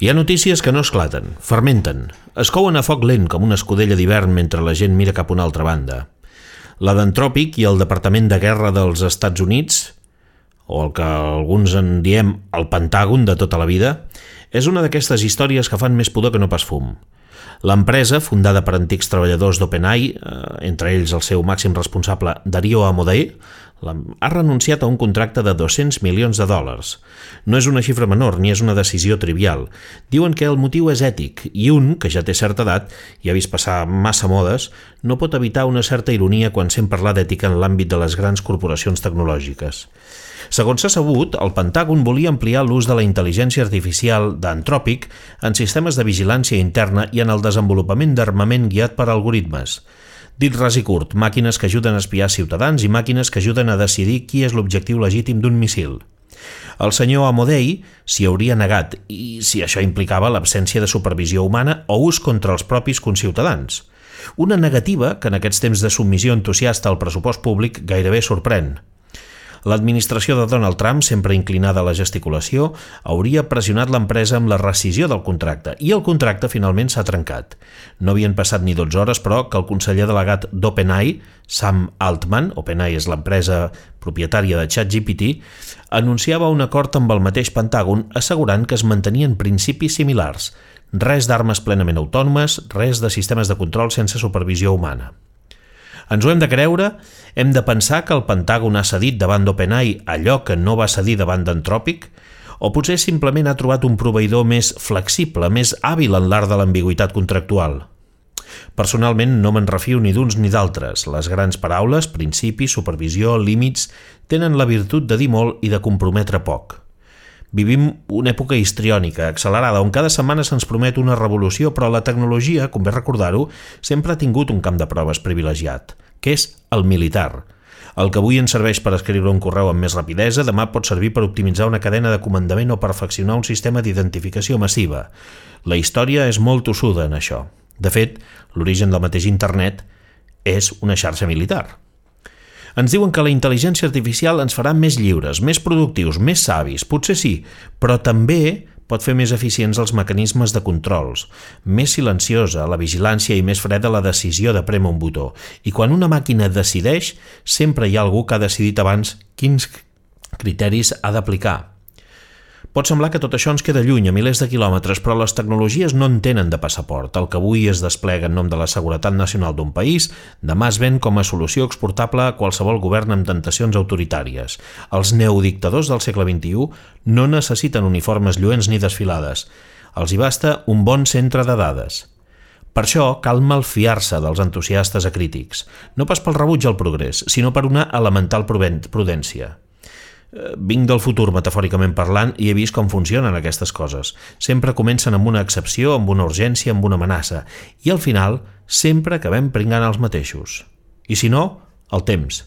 Hi ha notícies que no esclaten, fermenten, es couen a foc lent com una escudella d'hivern mentre la gent mira cap a una altra banda. La d'Antròpic i el Departament de Guerra dels Estats Units, o el que alguns en diem el Pentàgon de tota la vida, és una d'aquestes històries que fan més pudor que no pas fum. L'empresa, fundada per antics treballadors d'OpenAI, entre ells el seu màxim responsable Dario Amodei, ha renunciat a un contracte de $200 milions. No és una xifra menor ni és una decisió trivial. Diuen que el motiu és ètic i un, que ja té certa edat i ha vist passar massa modes, no pot evitar una certa ironia quan sent parlar d'ètica en l'àmbit de les grans corporacions tecnològiques. Segons s'ha sabut, el Pentàgon volia ampliar l'ús de la intel·ligència artificial d'Antròpic en sistemes de vigilància interna i en el desenvolupament d'armament guiat per algoritmes. Dit ras i curt, màquines que ajuden a espiar ciutadans i màquines que ajuden a decidir qui és l'objectiu legítim d'un míssil. El senyor Amodei s'hi hauria negat i si això implicava l'absència de supervisió humana o ús contra els propis conciutadans. Una negativa que en aquests temps de submissió entusiasta al pressupost públic gairebé sorprèn. L'administració de Donald Trump, sempre inclinada a la gesticulació, hauria pressionat l'empresa amb la rescissió del contracte i el contracte finalment s'ha trencat. No havien passat ni 12 hores, però, que el conseller delegat d'OpenAI, Sam Altman, OpenAI és l'empresa propietària de ChatGPT, anunciava un acord amb el mateix Pentàgon assegurant que es mantenien principis similars. Res d'armes plenament autònomes, res de sistemes de control sense supervisió humana. Ens ho hem de creure? Hem de pensar que el Pentàgon ha cedit davant d'OpenAI allò que no va cedir davant d'Antròpic? O potser simplement ha trobat un proveïdor més flexible, més hàbil en l'art de l'ambigüitat contractual? Personalment no me'n refio ni d'uns ni d'altres. Les grans paraules, principis, supervisió, límits, tenen la virtut de dir molt i de comprometre poc. Vivim una època histriònica, accelerada, on cada setmana se'ns promet una revolució, però la tecnologia, convé recordar-ho, sempre ha tingut un camp de proves privilegiat, que és el militar. El que avui ens serveix per escriure un correu amb més rapidesa, demà pot servir per optimitzar una cadena de comandament o perfeccionar un sistema d'identificació massiva. La història és molt tossuda en això. De fet, l'origen del mateix internet és una xarxa militar. Ens diuen que la intel·ligència artificial ens farà més lliures, més productius, més savis, potser sí, però també pot fer més eficients els mecanismes de controls, més silenciosa la vigilància i més freda la decisió de prémer un botó. I quan una màquina decideix, sempre hi ha algú que ha decidit abans quins criteris ha d'aplicar. Pot semblar que tot això ens queda lluny, a milers de quilòmetres, però les tecnologies no en tenen de passaport. El que avui es desplega en nom de la seguretat nacional d'un país, demà es ven com a solució exportable a qualsevol govern amb tentacions autoritàries. Els neodictadors del segle XXI no necessiten uniformes lluents ni desfilades. Els hi basta un bon centre de dades. Per això cal malfiar-se dels entusiastes acrítics, no pas pel rebuig al progrés, sinó per una elemental prudència. Vinc del futur, metafòricament parlant, i he vist com funcionen aquestes coses. Sempre comencen amb una excepció, amb una urgència, amb una amenaça, i al final sempre acabem pringant els mateixos. I si no, el temps.